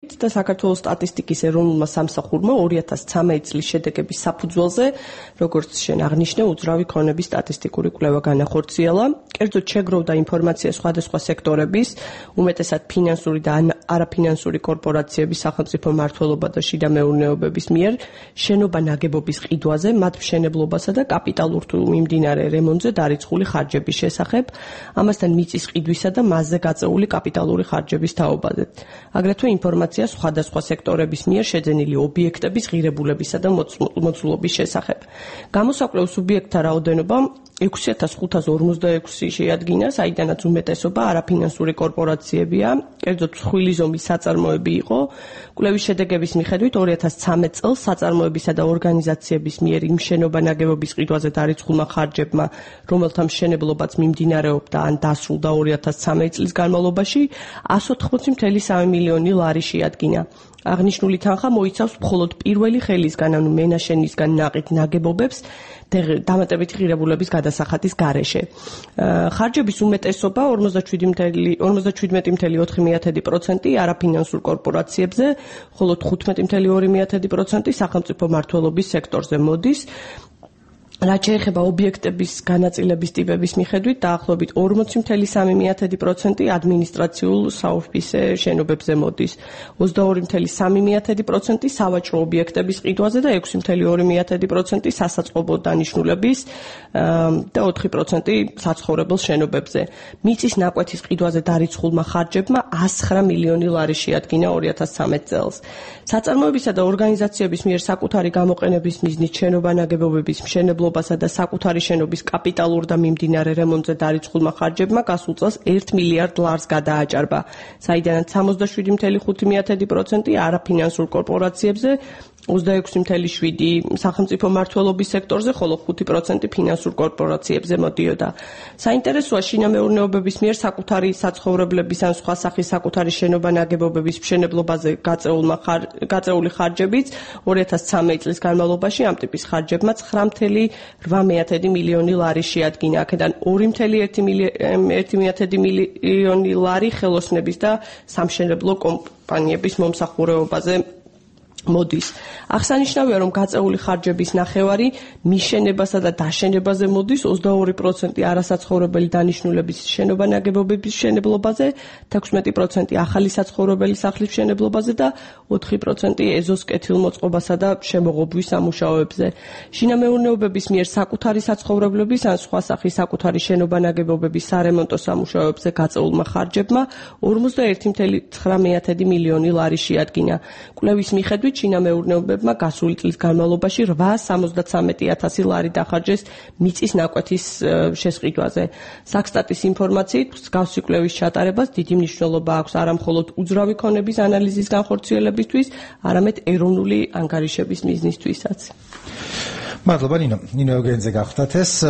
და საქართველოს სტატისტიკის ეროვნულმა სამსახურმა 2013 წლის შედეგების საფუძველზე, როგორც შენ აღნიშნე, უძრავი ქონების სტატისტიკური კვლევა განახორციელა. კერძოდ შეგროვდა ინფორმაცია სხვადასხვა სექტორების, უმეტესად ფინანსური და არაფინანსური კორპორაციების, სახელმწიფო მმართველობა და შიდა მეურნეობების მიერ შენობა-ნაგებობის ყიდვაზე, მათ მშენებლობასა და კაპიტალურ თუ მიმდინარე რემონტზე დარიცხული ხარჯების შესახებ, ამასთან მიწის ყიდვისა და მასზე გაწეული კაპიტალური ხარჯების თაობაზე. აგრეთვე ინფორმაცია სხვადასხვა სექტორების მიერ შეძენილი ობიექტების ღირებულებისა და მოცულობის შესახებ. გამოსაკვლევ სუბიექტთა რაოდენობა 6546 შეადგინა, საიდანაც უმეტესობა არაფინანსური კორპორაციებია, კერძოდ მსხვილი ზომის საწარმოები იყო. კვლევის შედეგების მიხედვით 2013 წელს საწარმოებისა და ორგანიზაციების მიერ იმ შენობა-ნაგებობის ყიდვაზე დარიცხულმა ხარჯებმა, რომელთა მშენებლობაც მიმდინარეობდა ან დასრულდა 2013 წლის განმავლობაში, 180.3 მილიონი ლარი შეადგინა. აღნიშნული თანხა მოიცავს მხოლოდ პირველი ხელისგან, ანუ მენაშენისგან ნაყიდ ნაგებობებს დამატებითი ღირებულების გადასახადის გარეშე. ხარჯების უმეტესობა 47.4% არაფინანსურ კორპორაციებზე, ხოლო 15.2% სახელმწიფო მმართველობის სექტორზე მოდის. რაც შეეხება ობიექტების განაწილების ტიპების მიხედვით, დაახლოებით 40.3% ადმინისტრაციულ საოფისე შენობებზე მოდის, 22.3% სავაჭრო ობიექტების ყიდვაზე და 6.2% სასაწყობო დანიშნულების და 4% საცხოვრებელ შენობებზე. მიწის ნაკვეთის ყიდვაზე დარიცხულმა ხარჯებმა 109 მილიონი ლარი შეადგინა 2013 წელს. საწარმოებისა და ორგანიზაციების მიერ საკუთარი გამოყენების მიზნით შენობა-ნაგებობების მშენებლობასა და საკუთარი შენობის კაპიტალურ და მიმდინარე რემონტზე დარიცხულმა ხარჯებმა გასულ წელს 1 მილიარდ ლარს გადააჭარბა, საიდანაც 67.5% არაფინანსურ კორპორაციებზე, 26.7% სახელმწიფო მმართველობის სექტორზე, ხოლო 5% ფინანსურ კორპორაციებზე მოდიოდა. საინტერესოა შინამეურნეობების მიერ საკუთარი საცხოვრებლების ან სხვა სახის საკუთარი შენობა-ნაგებობების მშენებლობაზე გაწეული ხარჯებიც 2013 წლის განმავლობაში ამ ტიპის ხარჯებმა 9.8 მილიონი ლარი შეადგინა, აქედან 2.1 მილიონი ლარი ხელოსნების და სამშენებლო კომპანიების მომსახურებაზე მოდის. აღსანიშნავია, რომ გაწეული ხარჯების ნახევარი მიშენებასა და დაშენებაზე მოდის, 22% არასაცხოვრებელი დანიშნულების შენობა-ნაგებობების მშენებლობაზე, 16% ახალი საცხოვრებელი სახლის მშენებლობაზე და 4% ეზოს კეთილმოწყობასა და შემოღობვის სამუშაოებზე. შინამეურნეობების მიერ საკუთარი საცხოვრებლების ან სხვა სახის საკუთარი შენობა-ნაგებობების სარემონტო სამუშაოებზე გაწეულმა ხარჯებმა 41.9 მილიონი ლარი შეადგინა. კვლევის მიხედვით შინამეურნეობებმა გასული წლის განმავლობაში 873.000 ლარი დახარჯეს მიწის ნაკვეთის შესყიდვაზე. საქსტატის ინფორმაციით, მსგავსი კვლევის ჩატარებას დიდი მნიშვნელობა აქვს არა მხოლოდ უძრავი ქონების ანალიზის განხორციელებისთვის, არამედ ეროვნული ანგარიშების მიზნისთვისაც. მადლობა ნინო. ნინო ევგენიძე გახლდათ ეს